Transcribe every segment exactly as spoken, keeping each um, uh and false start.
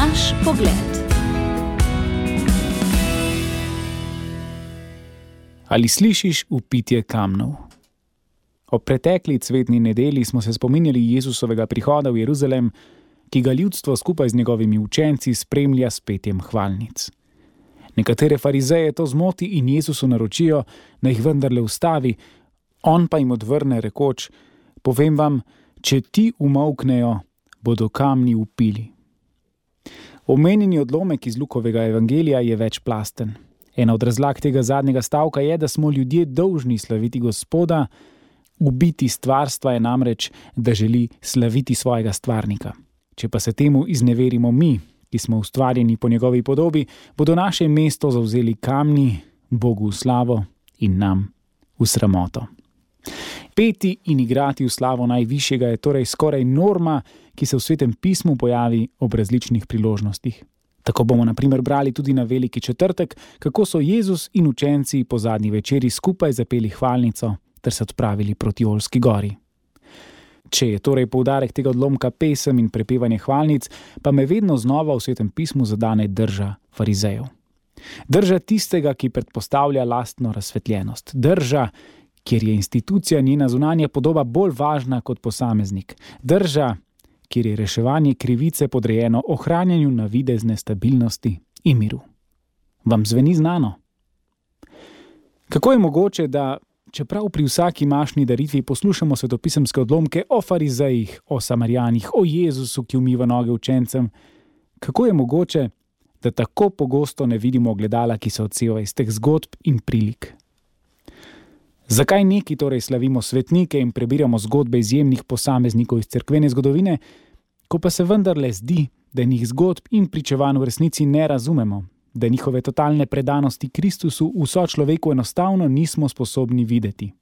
Naš pogled. Ali slišiš vpitje kamnov? Ob pretekli cvetni nedelji smo se spominjali Jezusovega prihoda v Jeruzalem, ki ga ljudstvo skupaj z njegovimi učenci spremlja s petjem hvalnic. Nekatere farizeje to zmoti in Jezusu naročijo, da jih vendarle ustavi, on pa jim odvrne rekoč: povem vam, če ti umolknejo, bodo kamni vpili. Omenjeni odlomek iz Lukovega evangelija je večplasten. Ena od razlag tega zadnjega stavka je, da smo ljudje dolžni slaviti Gospoda, ubiti stvarstva je namreč, da želi slaviti svojega stvarnika. Če pa se temu izneverimo mi, ki smo ustvarjeni po njegovi podobi, bodo naše mesto zavzeli kamni, Bogu v slavo in nam v sramoto. Peti in igrati v slavo najvišjega je torej skoraj norma, ki se v Svetem pismu pojavi ob različnih priložnostih. Tako bomo na primer brali tudi na Veliki četrtek, kako so Jezus in učenci po zadnji večeri skupaj zapeli hvalnico ter se odpravili proti Olski gori. Če je torej poudarek tega odlomka pesem in prepevanje hvalnic, pa me vedno znova v Svetem pismu zadane drža farizejev. Drža tistega, ki predpostavlja lastno razsvetljenost. Drža, kjer je institucija njena zunanja podoba bolj važna kot posameznik. Drža, kjer je reševanje krivice podrejeno ohranjanju navidezne stabilnosti in miru. Vam zveni znano? Kako je mogoče, da čeprav pri vsaki mašni daritvi poslušamo svetopisemske odlomke o farizejih, o Samarjanih, o Jezusu, ki umiva noge učencem, kako je mogoče, da tako pogosto ne vidimo ogledala, ki se odseva iz teh zgodb in prilik? Zakaj neki torej slavimo svetnike in prebiramo zgodbe izjemnih posameznikov iz cerkvene zgodovine, ko pa se vendarle zdi, da njih zgodb in pričevanj v resnici ne razumemo, da njihove totalne predanosti Kristusu v sočloveku enostavno nismo sposobni videti?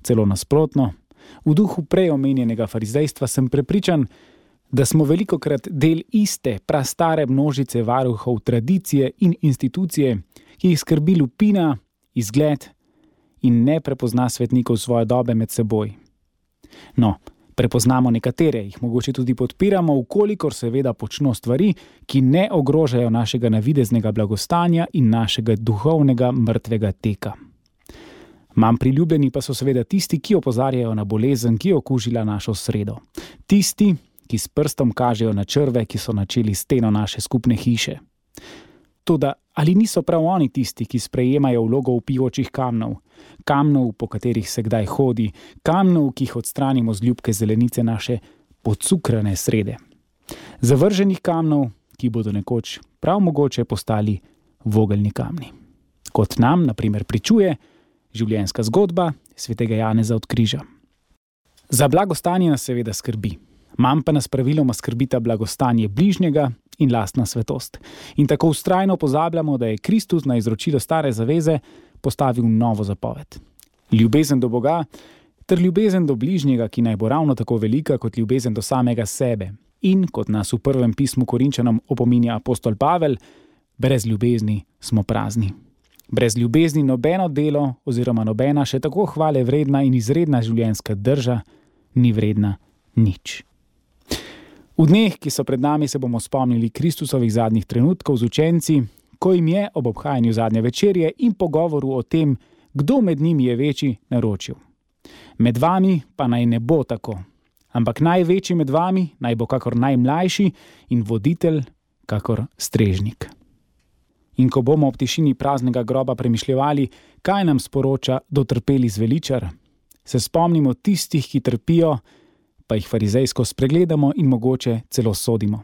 Celo nasprotno, v duhu prej omenjenega farizejstva sem prepričan, da smo velikokrat del iste prastare množice varuhov tradicije in institucije, ki jih skrbi lupina, izgled in ne prepozna svetnikov svoje dobe med seboj. No, prepoznamo nekatere, jih mogoče tudi podpiramo, vkolikor seveda počno stvari, ki ne ogrožajo našega navideznega blagostanja in našega duhovnega mrtvega teka. Manj priljubljeni pa so seveda tisti, ki opozarjajo na bolezen, ki je okužila našo sredo. Tisti, ki s prstom kažejo na črve, ki so načeli steno naše skupne hiše. Toda ali niso prav oni tisti, ki sprejemajo vlogo vpijočih kamnov, kamnov, po katerih se kdaj hodi, kamnov, ki jih odstranimo z ljubke zelenice naše pocukrane srede? Zavrženih kamnov, ki bodo nekoč prav mogoče postali vogelni kamni. Kot nam, na primer, pričuje življenjska zgodba svetega Janeza od križa. Za blagostanje nas seveda skrbi. Manj pa nas praviloma skrbita blagostanje bližnjega in lastna svetost. In tako vztrajno pozabljamo, da je Kristus na izročilo stare zaveze postavil novo zapoved. Ljubezen do Boga ter ljubezen do bližnjega, ki naj bo ravno tako velika kot ljubezen do samega sebe. In kot nas v prvem pismu Korinčanom opominja apostol Pavel, brez ljubezni smo prazni. Brez ljubezni nobeno delo oziroma nobena še tako hvale vredna in izredna življenjska drža ni vredna nič. V dneh, ki so pred nami, se bomo spomnili Kristusovih zadnjih trenutkov z učenci, ko jim je ob obhajanju zadnje večerje in pogovoru o tem, kdo med njimi je večji, naročil: med vami pa naj ne bo tako, ampak največji med vami naj bo kakor najmlajši in voditelj kakor strežnik. In ko bomo ob tišini praznega groba premišljevali, kaj nam sporoča dotrpeli zveličar, se spomnimo tistih, ki trpijo, pa jih farizejsko spregledamo in mogoče celo sodimo.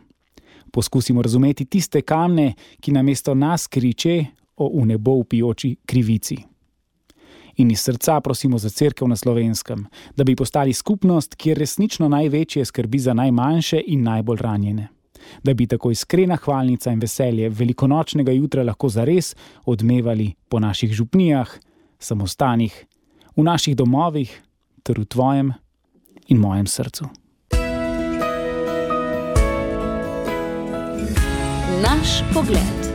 Poskusimo razumeti tiste kamne, ki namesto nas kriče o v nebo vpijoči krivici. In iz srca prosimo za cerkev na Slovenskem, da bi postali skupnost, kjer resnično največje skrbi za najmanjše in najbolj ranjene. Da bi tako iskrena hvalnica in veselje velikonočnega jutra lahko zares odmevali po naših župnijah, samostanih, v naših domovih ter v tvojem in mojem srcu. Naš pogled.